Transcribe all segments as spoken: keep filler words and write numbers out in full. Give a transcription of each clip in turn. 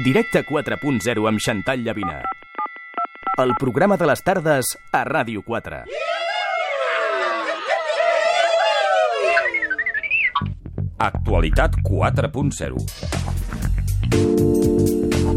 Directe quatre punt zero amb Xantal Llavina. El programa de les tardes a Ràdio quatre. Actualitat quatre punt zero.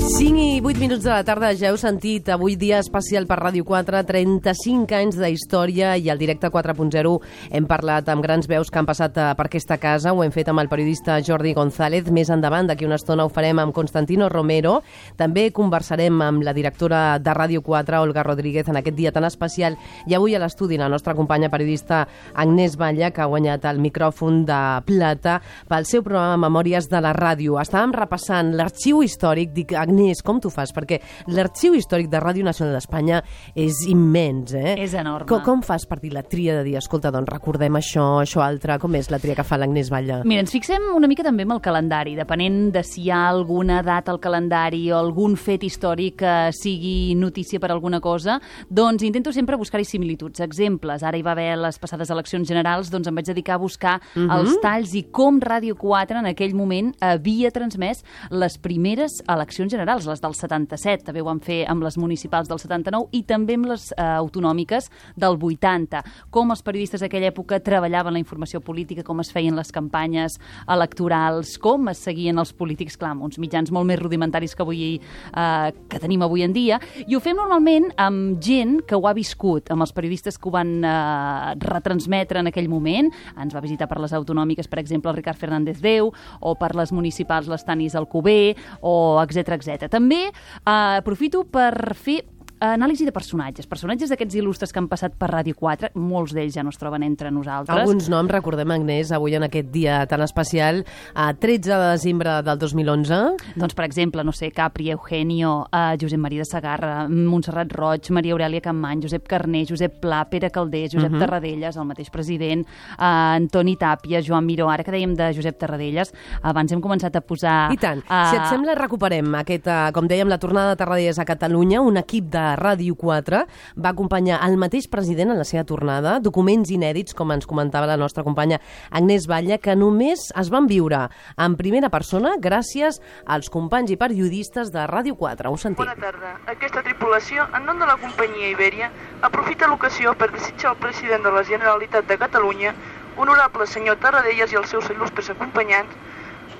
cinc i vuit minuts de la tarda, ja heu sentit, avui dia especial per Ràdio quatre, trenta-cinc anys de història, i al Directe quatre punt zero hem parlat amb grans veus que han passat per aquesta casa. Ho hem fet amb el periodista Jordi González. Més endavant, d'aquí una estona, ho farem amb Constantino Romero. També conversarem amb la directora de Ràdio quatre, Olga Rodríguez, en aquest dia tan especial. I avui a l'estudi la nostra companya periodista Agnès Batlle, que ha guanyat el micròfon de plata pel seu programa Memòries de la Ràdio. Estàvem repassant l'arxiu històric. Dic, Agnès, com t'ho fas? Perquè l'arxiu històric de Ràdio Nacional d'Espanya és immens, eh? És enorme. Com, com fas per dir la tria de dir, escolta, doncs recordem això, això altre? Com és la tria que fa l'Agnès Batlle? Mira, ens fixem una mica també amb el calendari, depenent de si hi ha alguna data al calendari o algun fet històric que sigui notícia per alguna cosa, doncs intento sempre buscar-hi similituds, exemples. Ara hi va haver les passades eleccions generals, doncs em vaig dedicar a buscar uh-huh. els talls i com Ràdio quatre en aquell moment havia transmès les primeres eleccions generals, les del setanta-set, també ho van fer amb les municipals del setanta-nou i també amb les eh, autonòmiques del vuitanta. Com els periodistes d'aquella època treballaven la informació política, com es feien les campanyes electorals, com es seguien els polítics, clar, amb uns mitjans molt més rudimentaris que avui eh, que tenim avui en dia, i ho fem normalment amb gent que ho ha viscut, amb els periodistes que ho van eh, retransmetre en aquell moment. Ens va visitar per les autonòmiques, per exemple, el Ricard Fernández Déu, o per les municipals l'Estanis Alcover, o etcètera etcètera. També eh, aprofito per fer anàlisi de personatges, personatges d'aquests il·lustres que han passat per Ràdio quatre, molts d'ells ja no es troben entre nosaltres. Alguns noms, recordem, Agnès, avui en aquest dia tan especial, a tretze de desembre del dos mil onze. Doncs, per exemple, no sé, Capri, Eugenio, uh, Josep Maria de Sagarra, Montserrat Roig, Maria Aurèlia Campmany, Josep Carner, Josep Pla, Pere Calders, Josep uh-huh. Tarradellas, el mateix president, uh, Antoni Tàpia, Joan Miró. Ara que dèiem de Josep Tarradellas, abans hem començat a posar... I tant. Uh, si et sembla, recuperem aquest, uh, com dèiem, la tornada de Tarradellas a Catalunya. Un equip de Ràdio quatre va acompanyar el mateix president en la seva tornada, documents inèdits, com ens comentava la nostra companya Agnès Batlle, que només es van viure en primera persona gràcies als companys i periodistes de Ràdio quatre. Ho sentim. Bona tarda. Aquesta tripulació, en nom de la companyia Ibèria, aprofita l'ocasió per desitjar al president de la Generalitat de Catalunya, honorable senyor Tarradellas i els seus il·lustres acompanyants,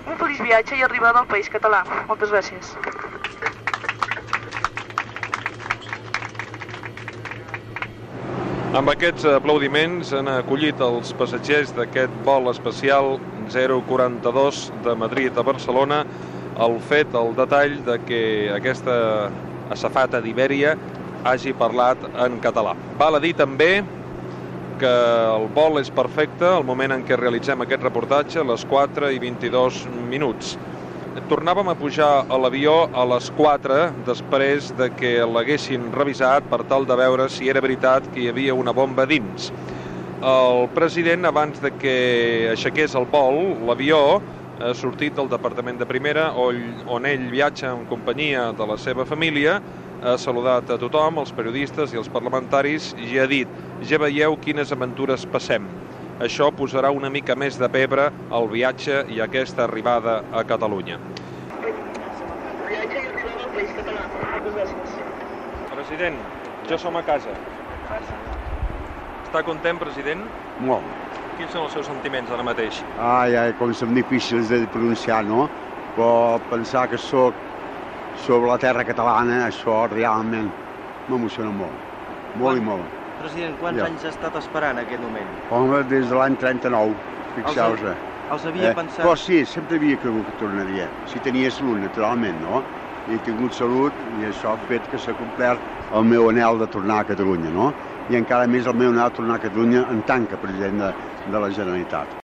un feliç viatge i arribada al país català. Moltes gràcies. Amb aquests aplaudiments han acollit els passatgers d'aquest vol especial zero quaranta-dos de Madrid a Barcelona el fet, el detall de que aquesta azafata d'Ibèria hagi parlat en català. Val a dir també que el vol és perfecte al moment en què realitzem aquest reportatge, a les quatre i vint-i-dos minuts. Tornàvem a pujar a l'avió a les quatre després de que l'haguessin revisat per tal de veure si era veritat que hi havia una bomba dins. El president, abans de que aixequés el vol, l'avió ha sortit del departament de primera on ell viatja en companyia de la seva família, ha saludat a tothom, els periodistes i els parlamentaris, i ha dit: ja veieu quines aventures passem. Això posarà una mica més de pebre al viatge i aquesta arribada a Catalunya. Viatge i arribada al país català. Moltes gràcies. President, ja som a casa. Està content, president? Molt. Quins són els seus sentiments ara mateix? Ai, ai, com són difícils de pronunciar, no? Però pensar que sóc sobre la terra catalana, això realment m'emociona molt. Molt i molt. President, quants ja. anys ha estat esperant aquest moment? Home, des de l'any trenta-nou, fixeu-vos. Els, els havia eh? pensat... Però sí, sempre havia cregut que tornaria. Si tenia salut, naturalment, no? I he tingut salut i això ha fet que s'ha complert el meu anhel de tornar a Catalunya, no? I encara més el meu anhel de tornar a Catalunya en tant que president de, de la Generalitat.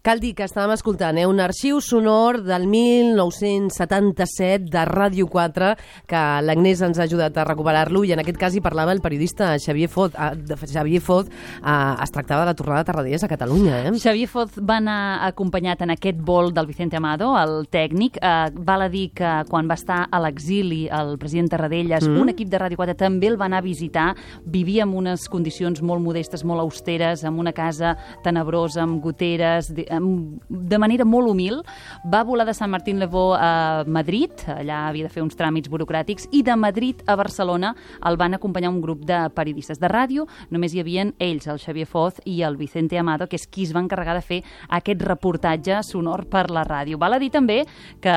Cal dir que estàvem escoltant eh, un arxiu sonor del mil nou-cents setanta-set de Ràdio quatre, que l'Agnès ens ha ajudat a recuperar-lo, i en aquest cas hi parlava el periodista Xavier Foz. Eh, Xavier Foz eh, es tractava de la tornada de Tarradellas a Catalunya. Eh? Xavier Foz va anar acompanyat en aquest vol del Vicente Amado, el tècnic. Eh, val a dir que quan va estar a l'exili el president Tarradellas, mm. un equip de Ràdio quatre també el va anar a visitar. Vivia en unes condicions molt modestes, molt austeres, en una casa tenebrosa, amb goteres, de manera molt humil, va volar de Sant Martín-le-Vaux a Madrid, allà havia de fer uns tràmits burocràtics, i de Madrid a Barcelona el van acompanyar un grup de periodistes de ràdio. Només hi havien ells, el Xavier Foz i el Vicente Amado, que és qui es va encarregar de fer aquest reportatge sonor per la ràdio. Val a dir també que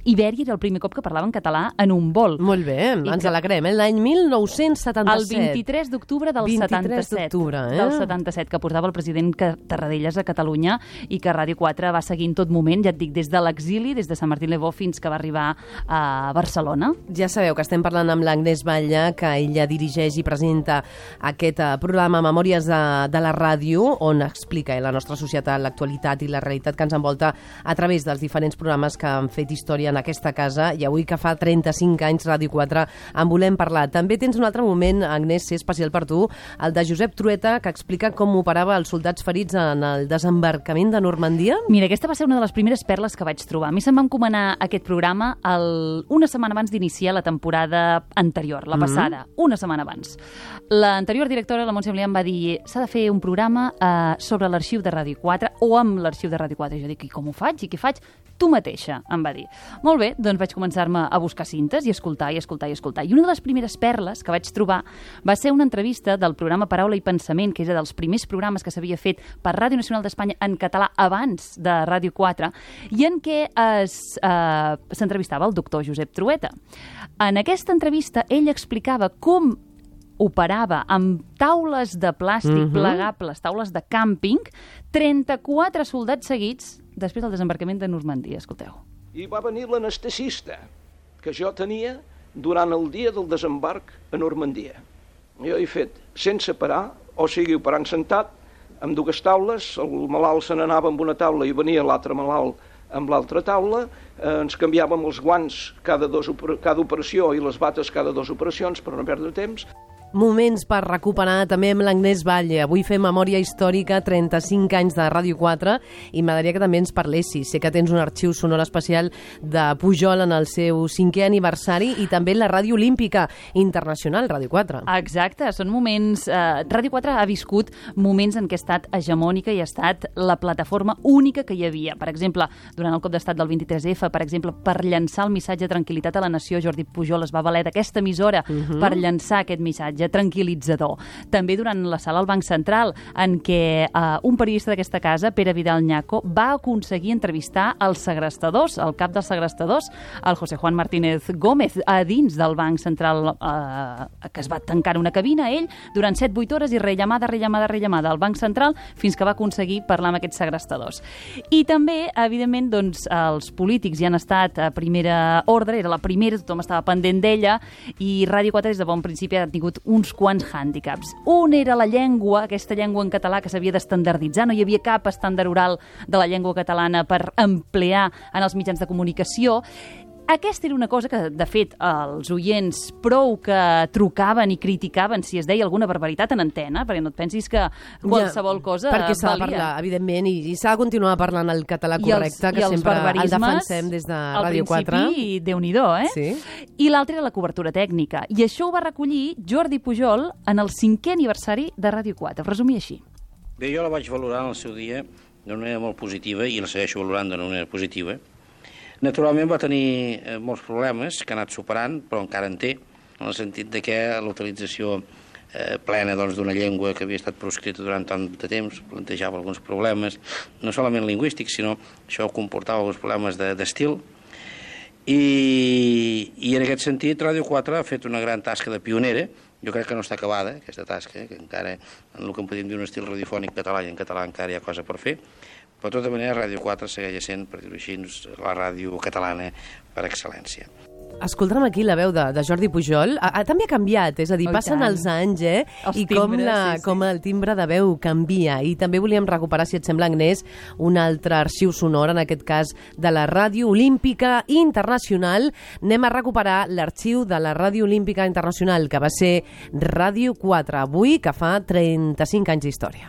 Ibèria era el primer cop que parlava en català en un vol. Molt bé, I ens alegrem. Eh? L'any mil nou-cents setanta-set. El vint-i-tres d'octubre del setanta-set. Eh? Del setanta-set, que portava el president Tarradellas a Catalunya i que Ràdio quatre va seguir en tot moment, ja et dic, des de l'exili, des de Sant Martín-le-Vaux fins que va arribar a Barcelona. Ja sabeu que estem parlant amb l'Agnès Batlle, que ella dirigeix i presenta aquest programa Memòries de, de la ràdio, on explica la nostra societat, l'actualitat i la realitat que ens envolta a través dels diferents programes que han fet història en aquesta casa, i avui que fa trenta-cinc anys Ràdio quatre en volem parlar. També tens un altre moment, Agnès, ser especial per tu, el de Josep Trueta, que explica com operava els soldats ferits en el desembarcament de Normandia. Mira, aquesta va ser una de les primeres perles que vaig trobar. A mi se'm va encomanar aquest programa el... una setmana abans d'iniciar la temporada anterior, la passada, mm-hmm. una setmana abans. L'anterior directora, la Montse Emilià, em va dir s'ha de fer un programa eh, sobre l'arxiu de Ràdio quatre o amb l'arxiu de Ràdio quatre. I jo dic, i com ho faig? I què faig? Tu mateixa, em va dir. Molt bé, doncs vaig començar-me a buscar cintes i escoltar, i escoltar, i escoltar. I una de les primeres perles que vaig trobar va ser una entrevista del programa Paraula i Pensament, que era dels primers programes que s'havia fet per Ràdio Nacional d'Espanya en català abans de Ràdio quatre, i en què es, eh, s'entrevistava el doctor Josep Trueta. En aquesta entrevista ell explicava com operava amb taules de plàstic mm-hmm. plegables, taules de càmping, trenta-quatre soldats seguits després del desembarcament de Normandia. Escolteu. I va venir l'anestesista que jo tenia durant el dia del desembarc a Normandia. Jo he fet sense parar, o sigui, operant sentat, amb dues taules, el malalt se n'anava amb una taula i venia l'altre malalt amb l'altra taula, eh, ens canviàvem els guants cada, dos, cada operació i les bates cada dues operacions per no perdre temps. Moments per recuperar també amb l'Agnès Batlle. Avui fem memòria històrica, trenta-cinc anys de Ràdio quatre, i m'agradaria que també ens parlessis. Sé que tens un arxiu sonor especial de Pujol en el seu cinquè aniversari i també la Ràdio Olímpica Internacional, Ràdio quatre. Exacte, són moments... Eh, Ràdio quatre ha viscut moments en què ha estat hegemònica i ha estat la plataforma única que hi havia. Per exemple, durant el cop d'estat del vint-i-tres efa, per exemple, per llançar el missatge de tranquil·litat a la nació, Jordi Pujol es va valer d'aquesta emissora uh-huh. per llançar aquest missatge tranquil·litzador. També durant la sala al Banc Central, en què eh, un periodista d'aquesta casa, Pere Vidal Ñaco, va aconseguir entrevistar els segrestadors, el cap dels segrestadors, el José Juan Martínez Gómez, a dins del Banc Central, eh, que es va tancar una cabina, ell, durant set vuit hores, i rellamada, rellamada, rellamada al Banc Central, fins que va aconseguir parlar amb aquests segrestadors. I també, evidentment, doncs, els polítics hi han estat a primera ordre, era la primera, tothom estava pendent d'ella, i Ràdio quatre des de bon principi ha tingut uns quants hàndicaps. Un era la llengua, aquesta llengua en català que s'havia d'estandarditzar, no hi havia cap estàndard oral de la llengua catalana per emplear en els mitjans de comunicació. Aquesta era una cosa que, de fet, els oients prou que trucaven i criticaven si es deia alguna barbaritat en antena, perquè no et pensis que qualsevol ja, cosa perquè s'ha de parlar, evidentment, i, i s'ha de continuar parlant el català correcte, els, que sempre el defensem des de Ràdio quatre. Al principi, Déu-n'hi-do, eh? Sí. I l'altre era la cobertura tècnica. I això ho va recollir Jordi Pujol en el cinquè aniversari de Ràdio quatre. Resumir així. Bé, jo la vaig valorar en el seu dia d'una manera molt positiva i la segueixo valorant d'una manera positiva. Naturalment va tenir eh, molts problemes que ha anat superant, però encara en té, en el sentit de que la utilització eh, plena doncs, d'una llengua que havia estat proscrita durant tant de temps plantejava alguns problemes, no solament lingüístics, sinó això comportava alguns problemes d'estil. I, I en aquest sentit, Ràdio quatre ha fet una gran tasca de pionera. Jo crec que no està acabada, aquesta tasca, que encara en el que en podem dir un estil radiofònic català, i en català encara hi ha cosa per fer. Però de tota manera, Ràdio quatre segueix sent, per dir-ho així, la ràdio catalana per excel·lència. Escolta'm aquí la veu de, de Jordi Pujol. A, a, també ha canviat, és a dir, oh, passen tant. els anys, eh? Els I timbres, com, la, sí, sí. com el timbre de veu canvia. I també volíem recuperar, si et sembla, Agnès, un altre arxiu sonor, en aquest cas de la Ràdio Olímpica Internacional. Anem a recuperar l'arxiu de la Ràdio Olímpica Internacional, que va ser Ràdio quatre, avui, que fa trenta-cinc anys d'història.